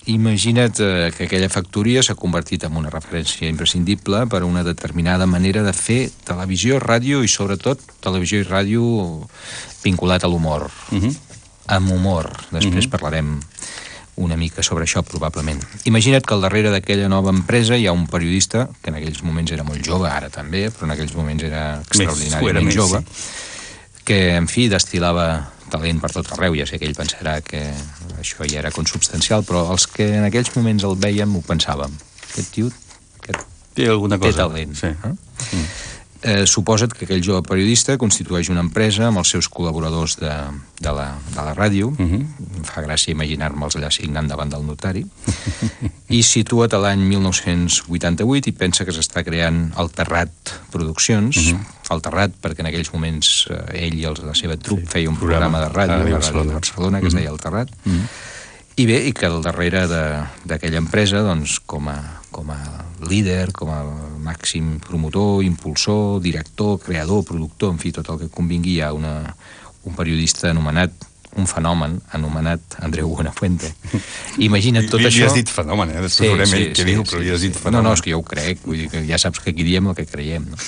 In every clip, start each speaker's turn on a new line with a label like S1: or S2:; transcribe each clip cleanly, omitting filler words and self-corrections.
S1: Imagina't que aquella factoria s'ha convertit en una referència imprescindible per a una determinada manera de fer televisió, ràdio i sobretot televisió i ràdio vinculat a l'humor. Amb humor. Després parlarem una mica sobre això, probablement. Imagina't que al darrere d'aquella nova empresa hi ha un periodista, que en aquells moments era molt jove, ara també, però en aquells moments era extraordinàriament jove, que, en fi, destil·lava talent per tot arreu. Ja sé que ell pensarà que això ja era consubstancial, però els que en aquells moments el vèiem ho pensàvem. Aquest tio
S2: té alguna cosa.
S1: Té talent. Suposa't que aquell jove periodista constitueix una empresa amb els seus col·laboradors de la ràdio. Em fa gràcia imaginar-me'ls allà signant davant del notari. I situa't a l'any 1988 i pensa que s'està creant el Terrat Produccions. El Terrat, perquè en aquells moments ell i la seva trup feia un programa de ràdio a la ràdio de Barcelona que es deia el Terrat. I bé, i que al darrere d'aquella empresa, doncs, com a líder, com a màxim promotor, impulsor, director, creador, productor, en fi, tot el que convingui, hi ha un periodista anomenat, un fenomen anomenat Andreu Buenafuente. Imagina't tot això...
S2: Li has dit fenomen, després veurem ell què diu, però li has dit fenomen.
S1: No, és que jo ho crec, vull dir que ja saps que aquí diem el que creiem, no?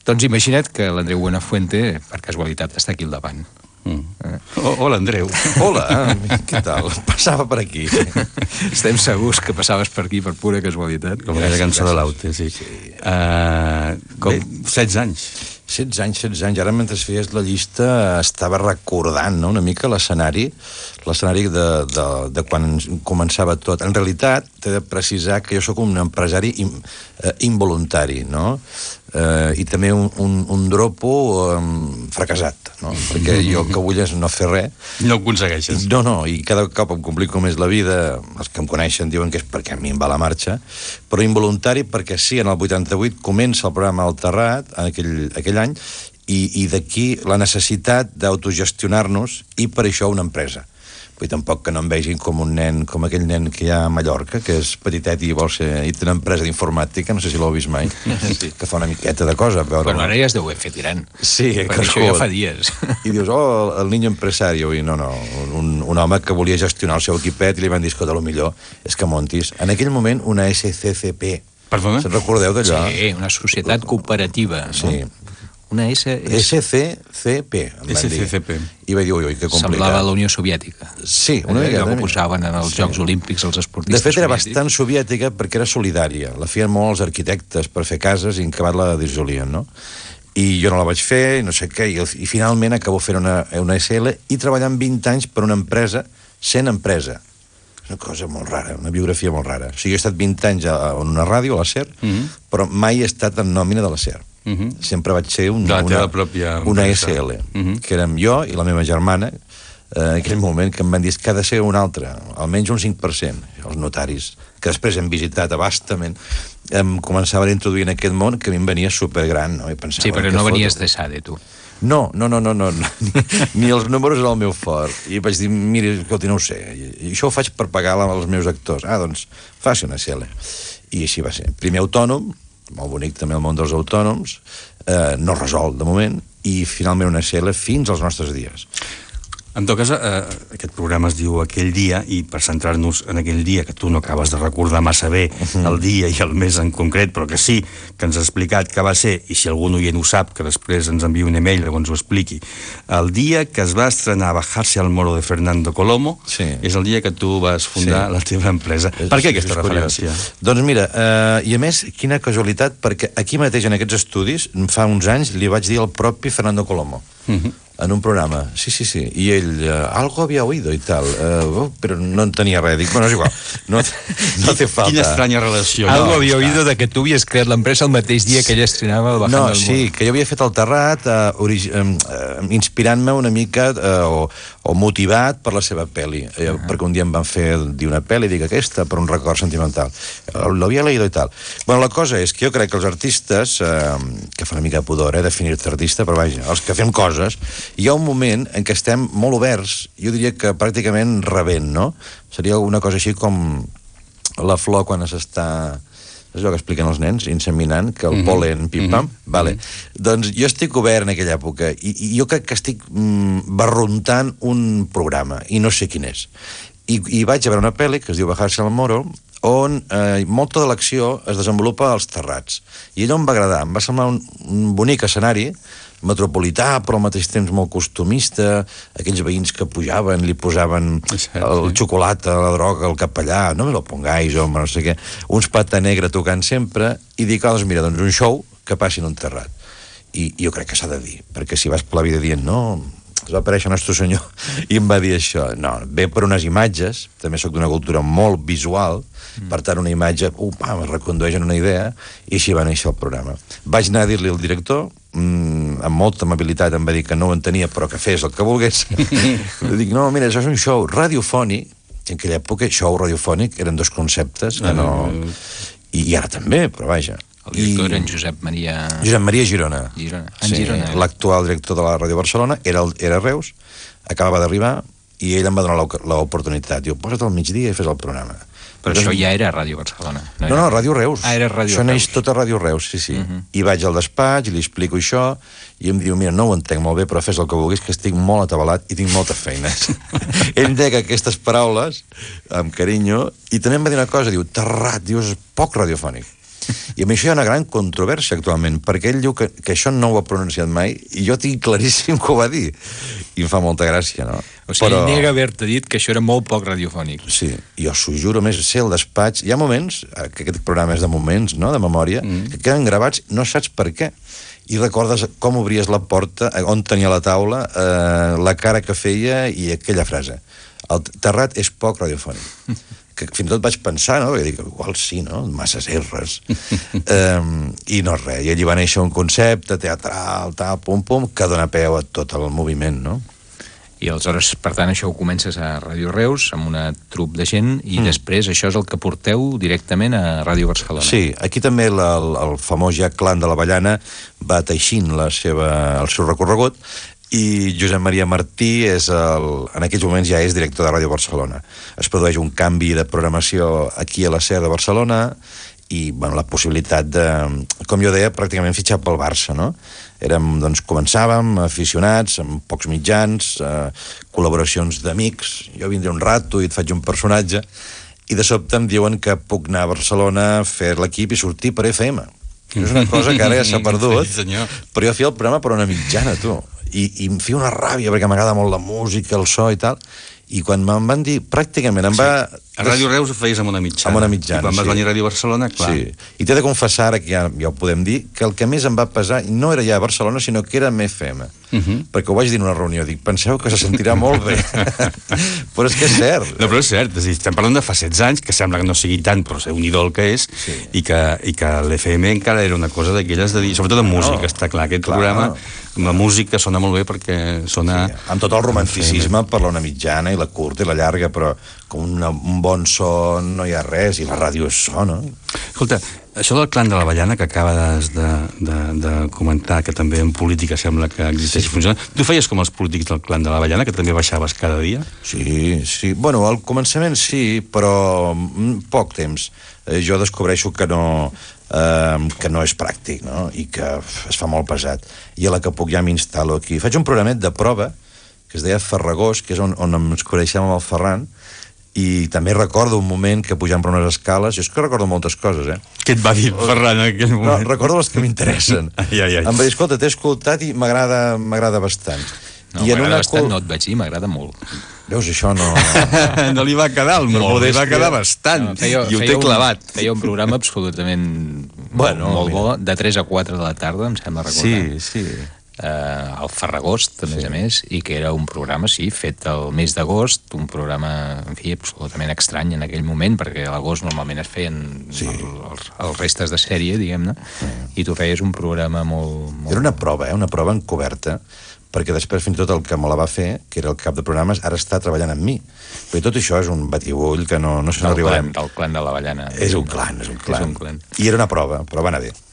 S1: Doncs imagina't que l'Andreu Buenafuente, per casualitat, està aquí al davant.
S2: Hola, Andreu.
S3: Hola, què tal? Passava per aquí.
S1: Estem segurs que passaves per aquí per pura casualitat.
S2: Com aquella cançó de l'Aute, sí. 16 anys.
S3: 16 anys. Ara, mentre feies la llista, estava recordant una mica l'escenari de quan començava tot. En realitat, t'he de precisar que jo sóc un empresari involuntari, no? I també un dropo fracassat, no? Perquè jo el que vull és no fer res.
S2: No ho aconsegueixes.
S3: No, i cada cop em complico més la vida. Els que em coneixen diuen que és perquè a mi em va la marxa, però involuntari perquè sí, en el 88 comença el programa El Terrat, aquell any, i d'aquí la necessitat d'autogestionar-nos i per això una empresa. Vull dir, tampoc que no em vegin com un nen, com aquell nen que hi ha a Mallorca, que és petitet i vol ser... i té una empresa d'informàtica, no sé si l'heu vist mai, que fa una miqueta de cosa.
S1: Però ara ja es deu haver fet gran.
S3: Sí,
S1: perquè això ja fa dies.
S3: I dius, el niño empresario, i no, un home que volia gestionar el seu equipet i li van dir, escolta, millor és que montis. En aquell moment, una SCCP.
S2: Perdona?
S3: Se'n recordeu d'allò?
S1: Sí, una societat cooperativa.
S3: Sí.
S1: Una
S3: SCCP.
S2: SCCP.
S3: I va dir, ui, que complicat.
S1: Semblava la Unió Soviètica.
S3: Sí, una mica.
S1: Allò que posaven en els Jocs Olímpics els esportistes
S3: soviètics. De fet, era bastant soviètica perquè era solidària. La feien molt els arquitectes per fer cases i en acabat la dissolien, no? I jo no la vaig fer, no sé què, i finalment acabo fent una SL i treballant 20 anys per una empresa, sent empresa. És una cosa molt rara, una biografia molt rara. O sigui, he estat 20 anys en una ràdio, a la SER, però mai he estat en nòmina de la SER. Sempre vaig ser una SL, que érem jo i la meva germana, en aquell moment que em van dir que ha de ser una altra, almenys un 5%. Els notaris, que després hem visitat abastament, em començaven a introduir en aquest món que a mi em venia supergran. No?
S1: Sí, però no venies de SADE, tu.
S3: No. Ni els números era el meu fort. I vaig dir, mira, escolti, no ho sé. I això ho faig per pagar als meus actors. Doncs faci una SL. I així va ser. Primer autònom, molt bonic també el món dels autònoms, no resol de moment, i finalment una SL fins als nostres dies.
S2: En tot cas, aquest programa es diu Aquell dia, i per centrar-nos en aquell dia, que tu no acabes de recordar massa bé el dia i el mes en concret, però que sí, que ens ha explicat que va ser, i si algun oient ho sap, que després ens enviï un email que ens ho expliqui, el dia que es va estrenar Bajarse al Moro de Fernando Colomo, és el dia que tu vas fundar la teva empresa. Per què aquesta referència?
S3: Doncs mira, i a més, quina casualitat, perquè aquí mateix, en aquests estudis, fa uns anys, li vaig dir al propi Fernando Colomo, en un programa, sí, i ell, algo había oído i tal, però no en tenia res, dic, bueno, és igual, no té falta.
S2: Quina estranya relació.
S1: Algo había oído de que tu havies creat l'empresa el mateix dia que ella estrenava el Bajando al Moro.
S3: No, sí, que jo havia fet el Terrat inspirant-me una mica o motivat per la seva pel·li, perquè un dia em van fer dir una pel·li, dic aquesta, per un record sentimental. L'havia leído i tal. Bueno, la cosa és que jo crec que els artistes, que fa una mica de pudor, definir-te artista, però vaja, els que fem coses, hi ha un moment en què estem molt oberts, jo diria que pràcticament rebent, no? Seria una cosa així com la flor quan s'està... És allò que expliquen els nens, inseminant, que el pol·len, pim-pam, vale. Doncs jo estic obert en aquella època i jo crec que estic barruntant un programa i no sé quin és. I vaig a veure una pel·li que es diu Bajarse al Moro, on molta de l'acció es desenvolupa als terrats. I allò em va agradar, em va semblar un bonic escenari, metropolità, però al mateix temps molt costumista, aquells veïns que pujaven, li posaven el xocolata, la droga, el capellà, no me lo pongáis, home, no sé què, uns pata negra tocant sempre, i dic, doncs mira, doncs un show que passi en un terrat. I jo crec que s'ha de dir, perquè si vas per la vida dient, no, es va aparèixer Nostre Senyor i em va dir això. No, ve per unes imatges, també sóc d'una cultura molt visual, per tant una imatge, em recondueix en una idea, i així va néixer el programa. Vaig anar a dir-li al director, amb molta amabilitat em va dir que no ho entenia, però que fes el que volgués. Dic, no, mira, això és un show radiofònic, en aquella època show radiofònic eren dos conceptes que no... I ara també, però vaja.
S1: El director era en Josep Maria...
S3: Josep Maria Girona.
S1: Girona.
S3: L'actual director de la Ràdio Barcelona era a Reus, acabava d'arribar, i ell em va donar l'oportunitat. Diu, posa't al migdia i fes el programa.
S1: Però això ja era a Ràdio Barcelona.
S3: No, Ràdio Reus.
S1: Era Ràdio Reus.
S3: Això neix tot a Ràdio Reus, sí. I vaig al despatx i li explico això, i em diu, mira, no ho entenc molt bé, però fes el que vulguis, que estic molt atabalat i tinc moltes feines. Ell deia aquestes paraules, amb carinyo, i també em va dir una cosa, diu, terrat, dius, poc radiofònic. I amb això hi ha una gran controvèrsia actualment, perquè ell diu que això no ho ha pronunciat mai, i jo tinc claríssim que ho va dir. I em fa molta gràcia, no?
S1: O sigui, ell nega haver-te dit que això era molt poc radiofònic.
S3: Sí, jo s'ho juro, més ser el despatx... Hi ha moments, que aquest programa és de moments, no?, de memòria, que queden gravats, no saps per què. I recordes com obries la porta, on tenia la taula, la cara que feia i aquella frase. El terrat és poc radiofònic. Que fins i tot vaig pensar, no?, i dic, igual sí, no?, masses erres. I no res, i allí va néixer un concepte teatral, tal, pum, que dona peu a tot el moviment, no?
S1: I aleshores, per tant, això ho comences a Ràdio Reus, amb una trup de gent, i després això és el que porteu directament a Ràdio Barcelona.
S3: Sí, aquí també el famós ja clan de l'Avellana va teixint el seu recorregut, i Josep Maria Martí en aquells moments ja és director de Ràdio Barcelona. Es produeix un canvi de programació aquí a la SER de Barcelona i la possibilitat de, com jo deia, pràcticament fitxar pel Barça, no? Doncs començàvem aficionats, amb pocs mitjans, col·laboracions d'amics, jo vindré un rato i et faig un personatge, i de sobte em diuen que puc anar a Barcelona a fer l'equip i sortir per FM. És una cosa que ara ja s'ha perdut, però jo feia el programa per una mitjana, tu. I em feia una ràbia perquè m'agrada molt la música, el so i tal, i quan me'n van dir, pràcticament em va...
S2: A Ràdio Reus ho feies amb una mitjana.
S3: Amb una mitjana,
S2: i quan vas venir a Ràdio Barcelona, clar.
S3: Sí, i t'he de confessar, ara que ja ho podem dir, que el que més em va pesar no era ja a Barcelona, sinó que era amb FM. Perquè ho vaig dir en una reunió, dic, penseu que se sentirà molt bé. Però és que és cert.
S2: No, però és cert, és a dir, estem parlant de fa 16 anys, que sembla que no sigui tant, però és un idol que és, i que l'FM encara era una cosa d'aquelles de dir, sobretot en música, està clar, aquest programa, la música sona molt bé perquè sona...
S3: Amb tot el romanticisme per la una mitjana i la curta i la llarga, però com un bon so no hi ha res, i la ràdio és so, no?
S2: Escolta, això del clan de l'Avellana que acabes de comentar, que també en política sembla que existeix i funciona, tu feies com els polítics del clan de l'Avellana, que també baixaves cada dia?
S3: Sí. Bueno, al començament sí, però poc temps. Jo descobreixo que no és pràctic, no?, i que es fa molt pesat. I a la que puc ja m'instal·lo aquí. Faig un programet de prova, que es deia Ferragós, que és on ens coneixem amb el Ferran, i també recordo un moment que pujant per unes escales, jo és que recordo moltes coses,
S2: Què et va dir Ferran en aquell moment?
S3: No, recordo les que m'interessen. Em va dir, escolta, t'he escoltat i m'agrada bastant.
S1: No, m'agrada bastant, no et vaig dir, m'agrada molt.
S3: Veus, això no...
S2: No li va quedar el molt, li va quedar bastant, i ho té clavat.
S1: Feia un programa absolutament molt bo, de 3 a 4 de la tarda, em sembla recordar.
S3: Sí.
S1: Al Ferragost, a més, i que era un programa, fet el mes d'agost, un programa, en fi, absolutament estrany en aquell moment, perquè a l'agost normalment es feien els restes de sèrie, diguem-ne, i tu feies un programa molt...
S3: Era una prova encoberta, perquè després fins i tot el que me la va fer, que era el cap de programes, ara està treballant amb mi. Perquè tot això és un batibull que no se n'arribarem.
S1: Del clan de l'Avellana.
S3: És un clan. I era una prova, però va anar bé.